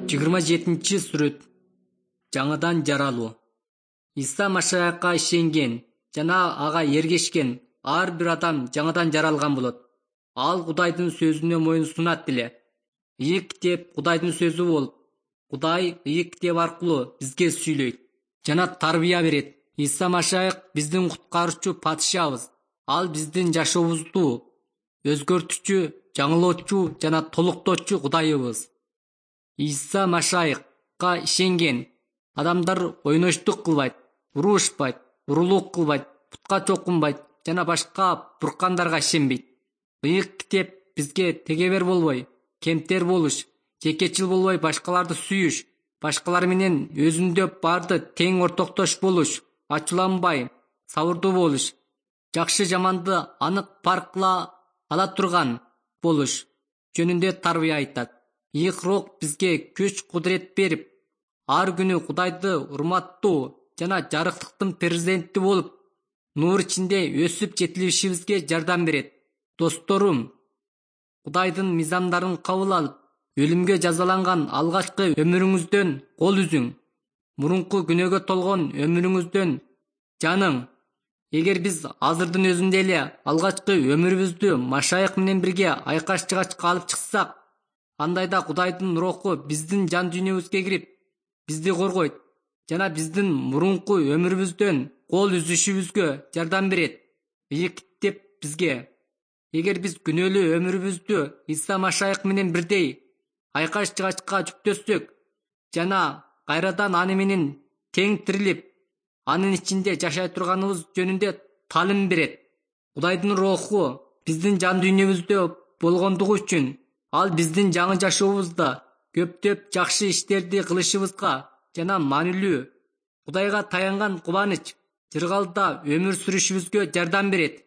27-сүрөт. Жаңыдан жаралуу. Иса Машаякка ишенген жана ага эргешкен ар бир адам жаңыдан жаралган болот. Ал Кудайдын сөзүнө моюн сунат эле. Ыйык китеп Кудайдын сөзү болуп, Кудай ыйык китеп аркылуу бизге сүйлөйт жана тарбия берет. Иса Машаяк биздин куткаруучу падышабыз. Ал биздин жашообузду өзгөртүүчү, жаңылоочу жана толуктоочу Кудайыбыз. Иса Машаякка ишенген адамдар ойноштук кылбайт, урушпайт, урулук кылбайт, путка чокунбайт жана башка буркандарга ишенбейт. Ыйык китеп бизге тегебер болбой, кемтер болуш, жекечил болбой башкаларды сүйүш, башкалар менен өзүндө барды тең ортоктош болуш, ачууланбай, сабырдуу болуш, жакшы жаманды анык парк кыла ала турган болуш жөнүндө тарбия айтат. Ыйык рух бизге күч кудурет берип, ар күнү Кудайды урматтуу жана жарыктыктын президенти болуп, нуур ичинде өсүп жетилишибизге жардам берет. Досторум, Кудайдын мыйзамдарын кабыл алып, өлүмгө жазаланган алгачкы өмүрүңүздөн кол үзүң. Мурунку күнөөгө толгон өмүрүңүздөн жаның. Эгер биз азырдын өзүндө эле алгачкы өмүрүбүздү Машаяк менен бирге айкаш жыгачка алып чыксак, андайда Кудайдын руху биздин жан дүйнөбүзгө кирип, бизди коргойт жана биздин мурунку өмүрүбүздөн кол үзүшүбүзгө жардам берет. Ыйык китеп бизге, эгер биз күнөөлүү өмүрүбүздү Иса Машаяк менен бирдей айкаш жыгачка жүктөсөк жана кайрадан аны менен тең тирилип, анын ичинде жашай турганыбыз жөнүндө таалим берет. Кудайдын руху биздин жан дүйнөбүздө болгондугу үчүн ал биздин жаңы жашообузда көптөп жакшы иштерди кылышыбызга жана маанилүү, Кудайга таянган кубаныч, жыргалда өмүр сүрүшүбүзгө жардам берет.